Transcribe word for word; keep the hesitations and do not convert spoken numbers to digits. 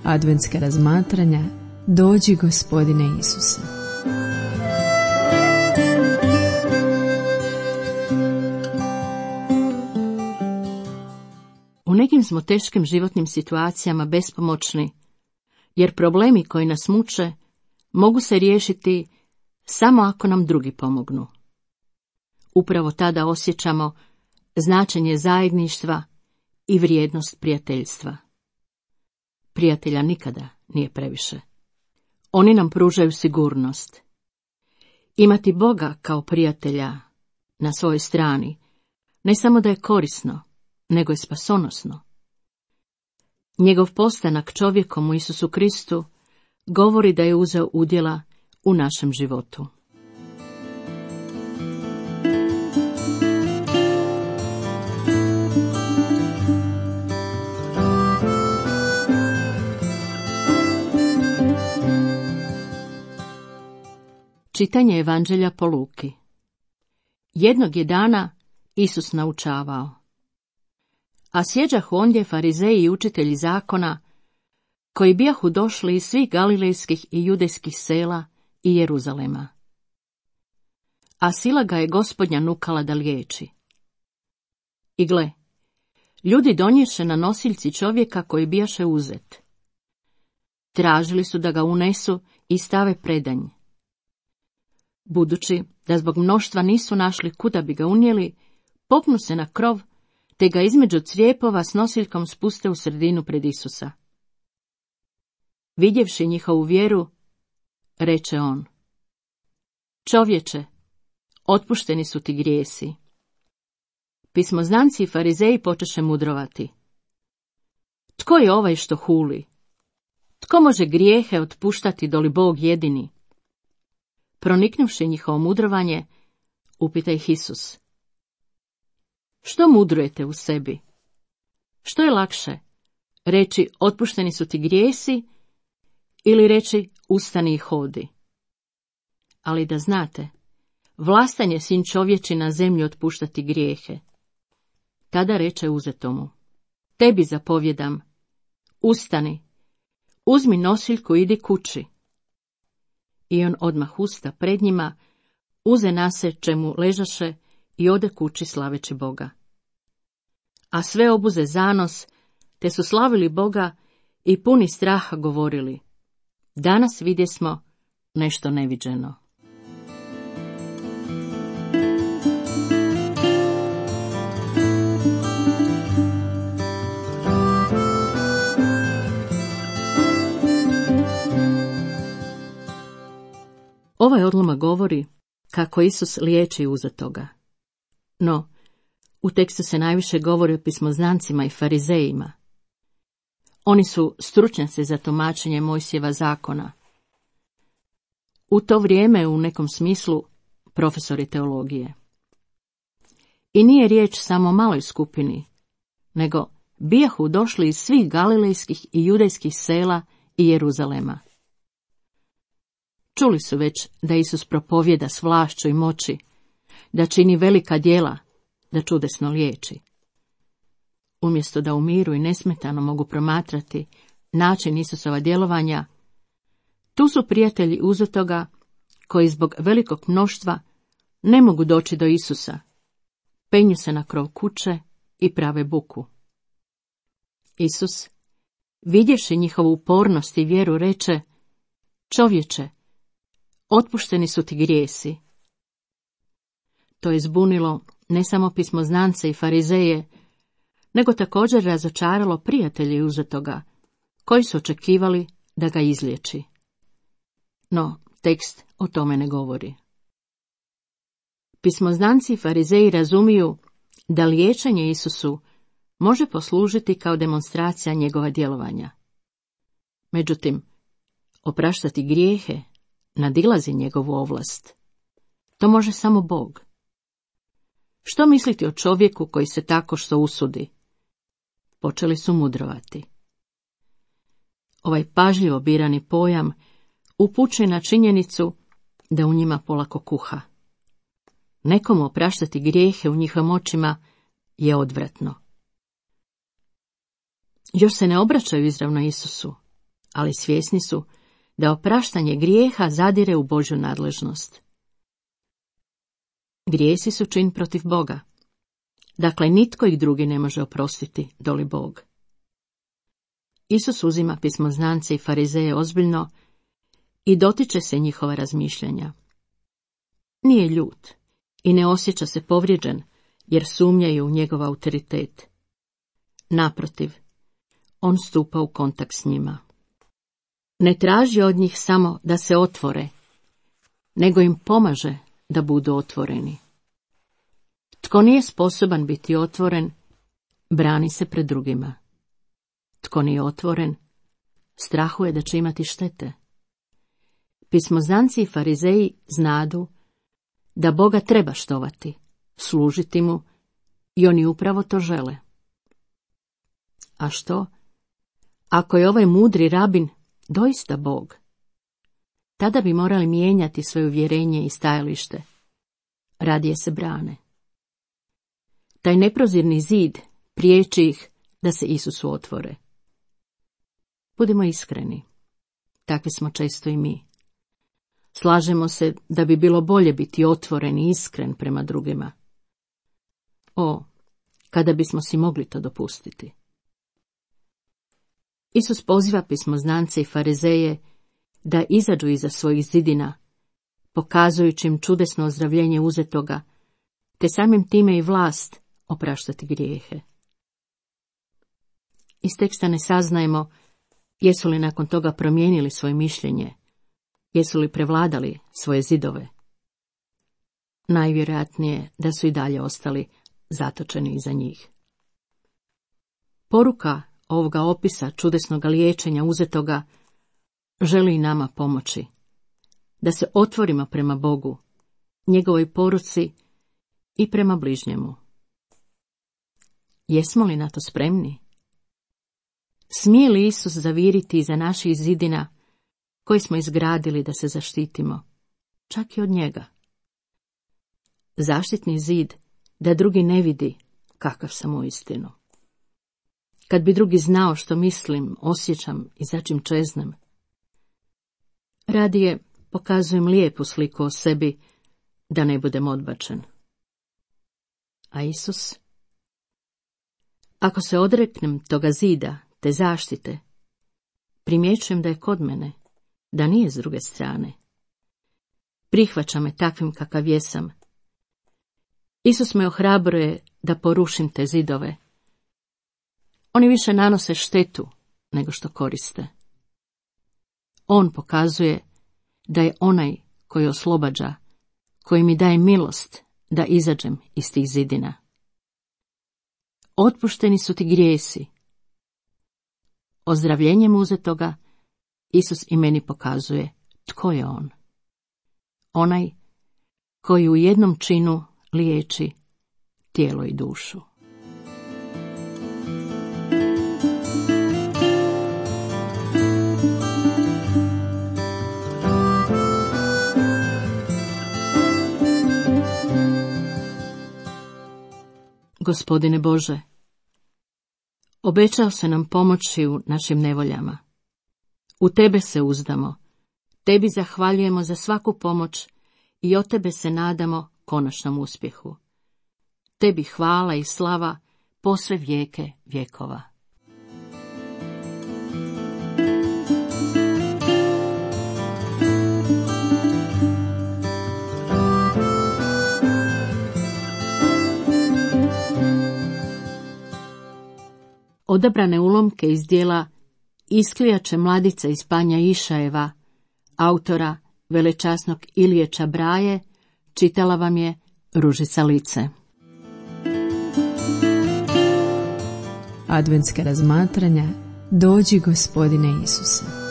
Adventska razmatranja Dođi Gospodine Isuse. U nekim smo teškim životnim situacijama bespomoćni, jer problemi koji nas muče mogu se riješiti samo ako nam drugi pomognu. Upravo tada osjećamo značenje zajedništva i vrijednost prijateljstva. Prijatelja nikada nije previše. Oni nam pružaju sigurnost. Imati Boga kao prijatelja na svojoj strani ne samo da je korisno, nego je spasonosno. Njegov postanak čovjekom u Isusu Kristu govori da je uzeo udjela u našem životu. Čitanje Evanđelja po Luki. Jednog je dana Isus naučavao. A sjeđahu ondje farizeji i učitelji zakona, koji bijahu došli iz svih galilejskih i judejskih sela i Jeruzalema. A sila ga je Gospodnja nukala da liječi. I gle, ljudi donješe na nosiljci čovjeka koji bijaše uzet. Tražili su da ga unesu i stave predanj. Budući da zbog mnoštva nisu našli kuda bi ga unijeli, popnu se na krov, te ga između crijepova s nosiljkom spuste u sredinu pred Isusa. Vidjevši njihovu vjeru, reče on: Čovječe, otpušteni su ti grijesi. Pismoznanci i farizeji počeše mudrovati. Tko je ovaj što huli? Tko može grijehe otpuštati doli Bog jedini? Proniknuvši njihovo mudrovanje, upita ih Isus: Što mudrujete u sebi? Što je lakše, reći otpušteni su ti grijesi ili reći ustani i hodi? Ali da znate, vlastan je sin čovječi na zemlji otpuštati grijehe. Tada reče uzetomu: Tebi zapovjedam, ustani, uzmi nosiljku i idi kući. I on odmah usta pred njima, uze nase čemu ležaše i ode kući slaveći Boga. A sve obuze zanos, te su slavili Boga i puni straha govorili: Danas vidjesmo nešto neviđeno. Ovaj odlomak govori kako Isus liječi uzetoga. No, u tekstu se najviše govori o pismoznancima i farizejima. Oni su stručnjaci za tumačenje Mojsijeva zakona. U to vrijeme u nekom smislu profesori teologije. I nije riječ samo o maloj skupini, nego bijahu došli iz svih galilejskih i judejskih sela i Jeruzalema. Čuli su već da Isus propovjeda s vlašću i moći, da čini velika djela, da čudesno liječi. Umjesto da u miru i nesmetano mogu promatrati način Isusova djelovanja, tu su prijatelji uzetoga koji zbog velikog mnoštva ne mogu doći do Isusa, penju se na krov kuće i prave buku. Isus, vidjevši njihovu upornost i vjeru, reče: Čovječe, otpušteni su ti grijesi. To je zbunilo ne samo pismoznance i farizeje, nego također razočaralo prijatelje uzetoga, koji su očekivali da ga izliječi. No, tekst o tome ne govori. Pismoznanci i farizeji razumiju da liječenje Isusu može poslužiti kao demonstracija njegova djelovanja. Međutim, opraštati grijehe nadilazi njegovu ovlast. To može samo Bog. Što misliti o čovjeku koji se tako što usudi? Počeli su mudrovati. Ovaj pažljivo birani pojam upućuje na činjenicu da u njima polako kuha. Nekomu opraštati grijehe u njihovim očima je odvratno. Još se ne obraćaju izravno Isusu, ali svjesni su da opraštanje grijeha zadire u Božju nadležnost. Grijesi su čin protiv Boga. Dakle, nitko ih drugi ne može oprostiti, doli Bog. Isus uzima pismoznance i farizeje ozbiljno i dotiče se njihova razmišljanja. Nije ljut i ne osjeća se povrijeđen, jer sumnjaju u njegov autoritet. Naprotiv, on stupa u kontakt s njima. Ne traži od njih samo da se otvore, nego im pomaže da budu otvoreni. Tko nije sposoban biti otvoren, brani se pred drugima. Tko nije otvoren, strahuje da će imati štete. Pismoznanci i farizeji znadu da Boga treba štovati, služiti mu, i oni upravo to žele. A što, ako je ovaj mudri rabin doista Bog? Tada bi morali mijenjati svoje uvjerenje i stajalište. Radije se brane. Taj neprozirni zid priječi ih da se Isusu otvore. Budimo iskreni. Takvi smo često i mi. Slažemo se da bi bilo bolje biti otvoren i iskren prema drugima. O, kada bismo si mogli to dopustiti. Isus poziva pismoznance i farizeje da izađu iza svojih zidina, pokazujući im čudesno ozdravljenje uzetoga, te samim time i vlast opraštati grijehe. Iz teksta ne saznajemo jesu li nakon toga promijenili svoje mišljenje, jesu li prevladali svoje zidove. Najvjerojatnije da su i dalje ostali zatočeni iza njih. Poruka ovoga opisa čudesnog liječenja uzetoga želi i nama pomoći, da se otvorimo prema Bogu, njegovoj poruci i prema bližnjemu. Jesmo li na to spremni? Smije li Isus zaviriti iza naših zidina koji smo izgradili da se zaštitimo, čak i od njega? Zaštitni zid da drugi ne vidi kakav sam uistinu. Kad bi drugi znao što mislim, osjećam i za čim čeznem. Radije pokazujem lijepu sliku o sebi da ne budem odbačen. A Isus? Ako se odreknem toga zida, te zaštite, primjećujem da je kod mene, da nije s druge strane. Prihvaća me takvim kakav jesam. Isus me ohrabruje da porušim te zidove. Oni više nanose štetu nego što koriste. On pokazuje da je onaj koji oslobađa, koji mi daje milost da izađem iz tih zidina. Otpušteni su ti grijesi. Ozdravljenjem uzetoga Isus i meni pokazuje tko je on. Onaj koji u jednom činu liječi tijelo i dušu. Gospodine Bože, obećao se nam pomoći u našim nevoljama. U Tebe se uzdamo, Tebi zahvaljujemo za svaku pomoć i od Tebe se nadamo konačnom uspjehu. Tebi hvala i slava posve vijeke vjekova. Odabrane ulomke iz dijela Isklijače mladice iz Panja Išajeva, autora velečasnog Ilije Čabraje, čitala vam je Ružica Lice. Adventska razmatranja Dođi Gospodine Isuse.